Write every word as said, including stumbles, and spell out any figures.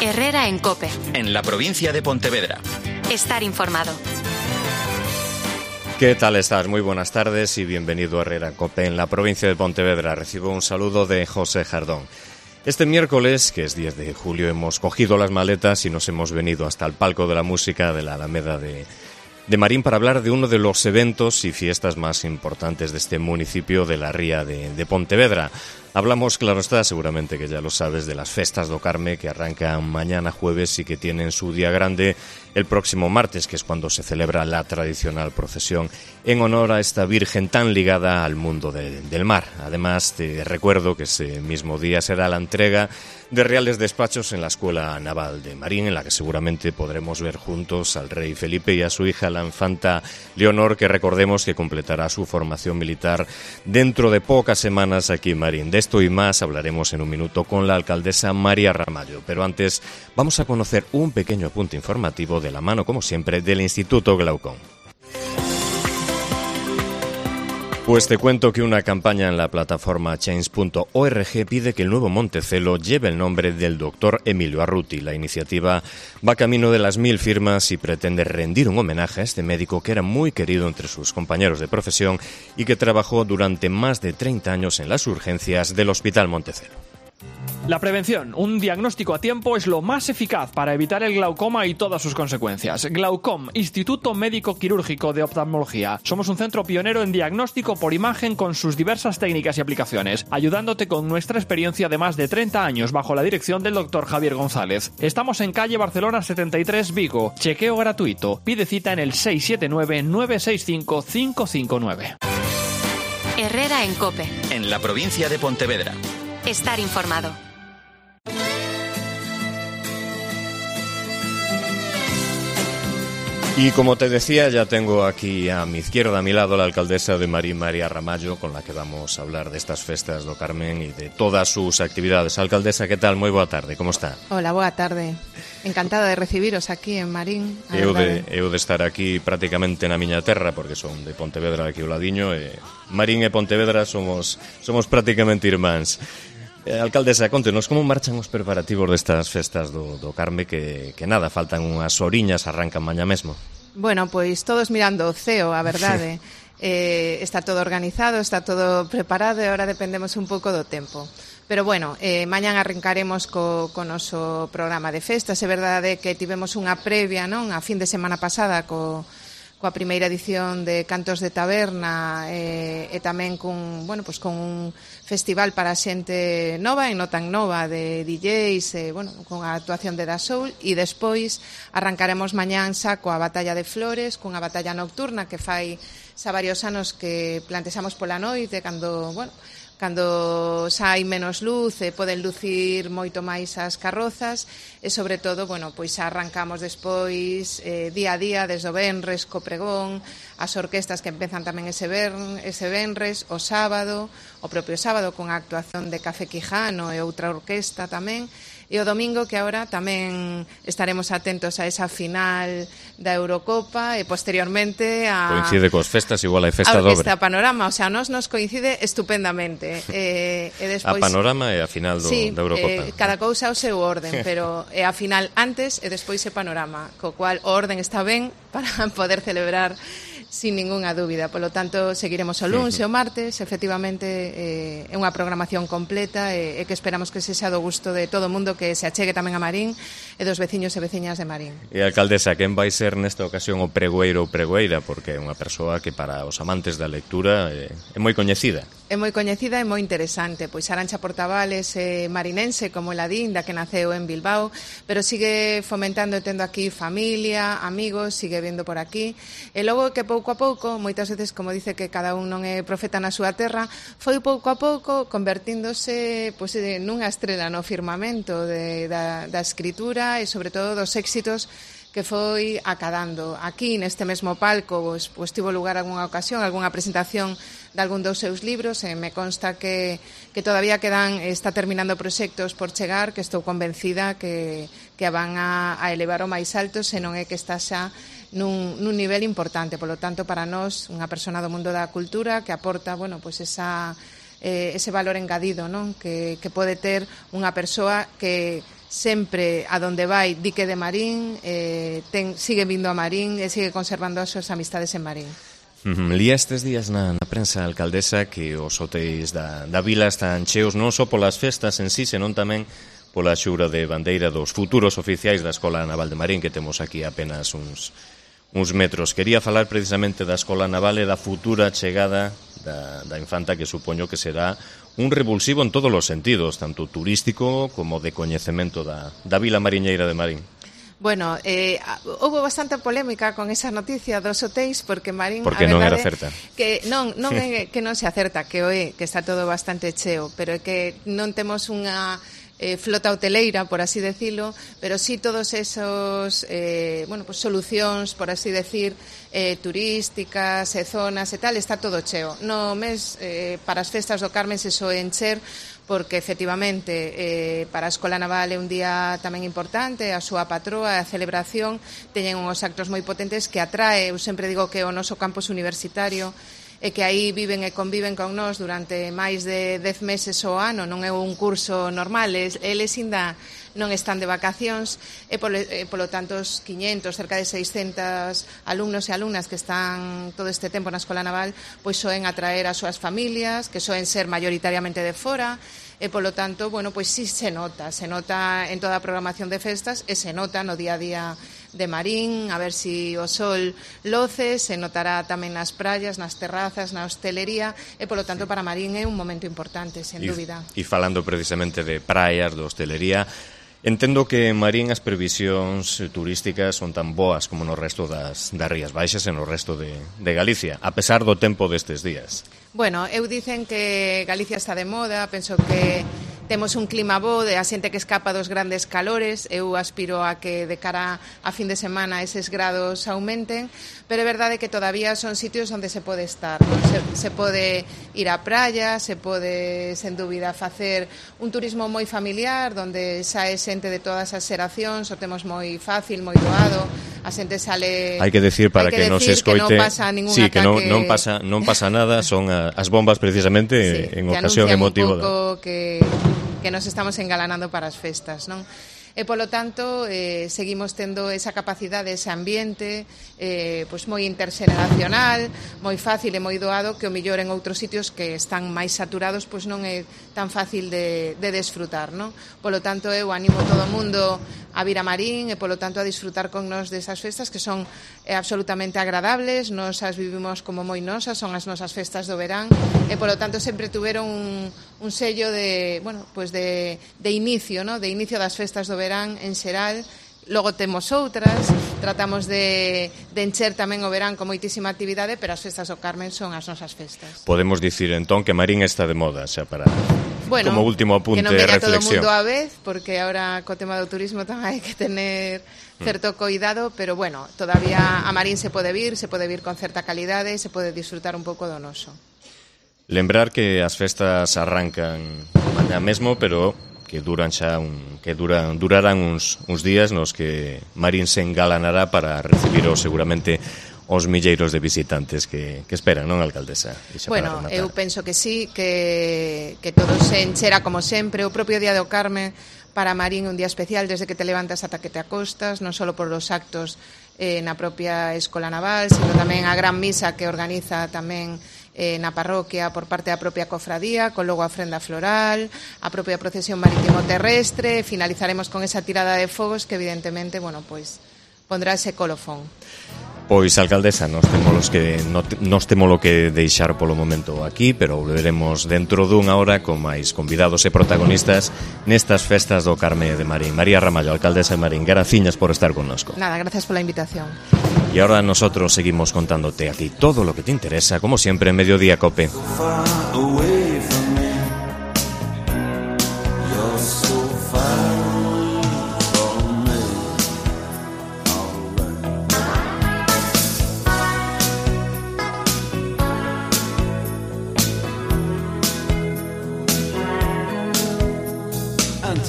Herrera en COPE. En la provincia de Pontevedra. Estar informado. ¿Qué tal estás? Muy buenas tardes y bienvenido a Herrera en COPE en la provincia de Pontevedra. Recibo un saludo de José Jardón. Este miércoles, que es diez de julio, hemos cogido las maletas y nos hemos venido hasta el palco de la música de la Alameda de, de Marín para hablar de uno de los eventos y fiestas más importantes de este municipio de la Ría de, de Pontevedra. Hablamos, claro está, seguramente que ya lo sabes, de las Festas do Carme que arrancan mañana jueves y que tienen su día grande el próximo martes, que es cuando se celebra la tradicional procesión en honor a esta Virgen tan ligada al mundo de, del mar. Además, te recuerdo que ese mismo día será la entrega de reales despachos en la Escuela Naval de Marín, en la que seguramente podremos ver juntos al rey Felipe y a su hija, la infanta Leonor, que recordemos que completará su formación militar dentro de pocas semanas aquí en Marín. De esto y más hablaremos en un minuto con la alcaldesa María Ramallo, pero antes vamos a conocer un pequeño apunte informativo de la mano, como siempre, del Instituto Glaucón. Pues te cuento que una campaña en la plataforma change punto org pide que el nuevo Montecelo lleve el nombre del doctor Emilio Arruti. La iniciativa va camino de las mil firmas y pretende rendir un homenaje a este médico que era muy querido entre sus compañeros de profesión y que trabajó durante más de treinta años en las urgencias del Hospital Montecelo. La prevención, un diagnóstico a tiempo, es lo más eficaz para evitar el glaucoma y todas sus consecuencias. Glaucom, Instituto Médico Quirúrgico de Oftalmología. Somos un centro pionero en diagnóstico por imagen con sus diversas técnicas y aplicaciones, ayudándote con nuestra experiencia de más de treinta años bajo la dirección del doctor Javier González. Estamos en calle Barcelona setenta y tres, Vigo. Chequeo gratuito. Pide cita en el seis siete nueve, nueve seis cinco, cinco cinco nueve. Herrera en COPE. En la provincia de Pontevedra. Estar informado. Y como te decía, ya tengo aquí a mi izquierda, a mi lado, la alcaldesa de Marín, María Ramallo, con la que vamos a hablar de estas festas do Carmen y de todas sus actividades. Alcaldesa, ¿qué tal? Moi boa tarde, como está? Hola, boa tarde. Encantada de recibiros aquí en Marín. Eu de, eu de estar aquí prácticamente na miña terra, porque son de Pontevedra aquí ao ladiño, e Marín e Pontevedra somos, somos prácticamente irmáns. Eh, alcaldesa, contenos como marchan os preparativos destas festas do, do Carme que, que nada, faltan unhas horiñas, arrancan mañá mesmo. Bueno, pois todos mirando o ceo, a verdade. eh, está todo organizado, está todo preparado e agora dependemos un pouco do tempo. Pero bueno, eh, mañán arrancaremos co, co noso programa de festas. É verdade que tivemos unha previa, non, a fin de semana pasada co coa primeira edición de Cantos de Taberna e, e tamén cun, bueno, pues con un festival para xente nova e non tan nova de D Js, e, bueno, con a actuación de Da Soul, e despois arrancaremos mañán xa coa Batalla de Flores, cunha batalla nocturna que fai xa varios anos que plantexamos pola noite, cando, bueno, cando xa hai menos luz e poden lucir moito máis as carrozas e, sobre todo, bueno, pois xa arrancamos despois eh, día a día, desde o venres co pregón, as orquestas que empezan tamén ese, vern, ese venres, o sábado, o propio sábado con a actuación de Café Quijano e outra orquesta tamén, e o domingo que agora tamén estaremos atentos a esa final da Eurocopa e posteriormente a... Coincide cos festas, igual hai festa a dobre. Orquesta Panorama, o sea, nos nos coincide estupendamente. E, e despois, a Panorama e a final do, sí, da Eurocopa. Eh, cada cousa ao seu orden, pero é a final antes e despois é Panorama, co cual o orden está ben para poder celebrar sin ningunha dúbida. Polo tanto, seguiremos o luns e o martes. Efectivamente, eh, é unha programación completa e, e que esperamos que sexa do gusto de todo o mundo, que se achegue tamén a Marín e dos veciños e veciñas de Marín. E, alcaldesa, quen vai ser nesta ocasión o pregoeiro ou pregoeira? Porque é unha persoa que para os amantes da lectura é, é moi coñecida. É moi coñecida e moi interesante. Pois Arancha Portavales é marinense, como ela din, da que naceu en Bilbao, pero sigue fomentando e tendo aquí familia, amigos, sigue vendo por aquí. E logo que pouco a pouco, moitas veces, como dice que cada un non é profeta na súa terra, foi pouco a pouco convertíndose pois, nunha estrela no firmamento de, da, da escritura e, sobre todo, dos éxitos que foi acadando. Aquí, neste mesmo palco, pois, pois tivo lugar algunha ocasión, algunha presentación de algún dos seus libros, e me consta que, que todavía quedan, está terminando proxectos por chegar, que estou convencida que, que van a, a elevar o máis alto, se non é que está xa nun, nun nivel importante. Polo tanto, para nós, unha persona do mundo da cultura que aporta, bueno, pois esa eh, ese valor engadido, non? Que, que pode ter unha persoa que sempre a donde vai di que de Marín, eh, ten, sigue vindo a Marín e sigue conservando as súas amistades en Marín. Uh-huh. Lía estes días na, na prensa, alcaldesa, que os hotéis da, da vila están cheos non só polas festas en sí, senón tamén pola xura de bandeira dos futuros oficiais da Escola Naval de Marín, que temos aquí apenas uns uns metros. Quería falar precisamente da Escola Naval e da futura chegada da, da infanta, que supoño que será un revulsivo en todos os sentidos, tanto turístico como de coñecemento da, da vila mariñeira de Marín. Bueno, eh, houve bastante polémica con esa noticia dos hotéis, porque Marín... Porque non era certa. Que non, non é que non se acerta, que o é, que está todo bastante cheo, pero é que non temos unha... Eh, flota hoteleira, por así decirlo, pero sí todos esos eh, bueno, pues solucións, por así decir, eh, turísticas e zonas e tal, está todo cheo. No mes, eh, para as festas do Carmen se soe encher, porque efectivamente eh, para a Escola Naval é un día tamén importante, a súa patroa, a celebración, teñen uns actos moi potentes que atrae, eu sempre digo que o noso campus universitario, e que aí viven e conviven con nós durante máis de dez meses ao ano, non é un curso normal, eles ainda non están de vacacións, e polo, e polo tanto os quiñentos, cerca de seiscentos alumnos e alumnas que están todo este tempo na Escola Naval, pois soen atraer as súas familias, que soen ser maioritariamente de fora, e polo tanto, bueno, pois sí se nota, se nota en toda a programación de festas e se nota no día a día de Marín, a ver si o sol loce, se notará tamén nas praias, nas terrazas, na hostelería, e polo tanto para Marín é un momento importante, sen dúbida. E falando precisamente de praias, de hostelería, entendo que en Marín as previsións turísticas son tan boas como no resto das, das Rías Baixas e no resto de, de Galicia, a pesar do tempo destes días. Bueno, eu dicen que Galicia está de moda, penso que temos un clima bo de a xente que escapa dos grandes calores, eu aspiro a que de cara a fin de semana eses grados aumenten, pero é verdade que todavía son sitios onde se pode estar, non? Se, se pode ir á praia, se pode, sen dúbida, facer un turismo moi familiar, onde sae xente de todas as xeracións, o temos moi fácil, moi doado, a xente sale... Hai que decir para que, que non se escoite... Que non pasa ningún sí, ataque... que non, non, pasa, non pasa nada, son a, as bombas precisamente sí, en ocasión emotiva. Que anuncian un pouco que, que nos estamos engalanando para as festas, non? E, polo tanto, eh, seguimos tendo esa capacidade, ese ambiente eh, pois moi interxeneracional, moi fácil e moi doado, que o millor en outros sitios que están máis saturados pois non é tan fácil de, de desfrutar, non? Polo tanto, eu animo todo o mundo a vir a Marín e, polo tanto, a disfrutar con nos desas festas que son eh, absolutamente agradables, nos as vivimos como moi nosas, son as nosas festas do verán e, polo tanto, sempre tuveron un, un sello de, bueno, pues de, de inicio, ¿no? De inicio das festas do verán en xeral. Logo temos outras, tratamos de, de encher tamén o verán con moitísima actividade, pero as festas do Carmen son as nosas festas. Podemos dicir entón que Marín está de moda, xa para... Bueno, como último apunte de reflexión. Que non venga todo o mundo á vez, porque ahora co tema do turismo tamén hai que tener certo coidado, pero bueno, todavía a Marín se pode vir, se pode vir con certa calidade, se pode disfrutar un pouco do noso. Lembrar que as festas arrancan mañá mesmo, pero que duran xa un, que duran, durarán uns, uns días nos que Marín se engalanará para recibir o, seguramente os milleiros de visitantes que, que esperan, non, alcaldesa? Bueno, eu penso que sí, que, que todo se enchera como sempre. O propio Día do Carmen para Marín un día especial desde que te levantas ata que te acostas, non só por os actos eh, na propia Escola Naval, sino tamén a gran misa que organiza tamén eh, na parroquia por parte da propia cofradía, con logo a ofrenda floral, a propia procesión marítimo terrestre, finalizaremos con esa tirada de fogos que evidentemente, bueno, pois pondrá ese colofón. Pois, alcaldesa, nos temos que nos temos lo que deixar polo momento aquí, pero volveremos dentro dunha hora con máis convidados e protagonistas nestas festas do Carme de Marín. María Ramallo, alcaldesa de Marín, graciñas por estar connosco. Nada, gracias por la invitación. Y ahora nosotros seguimos contándote a ti todo lo que te interesa, como siempre, en Mediodía Cope. And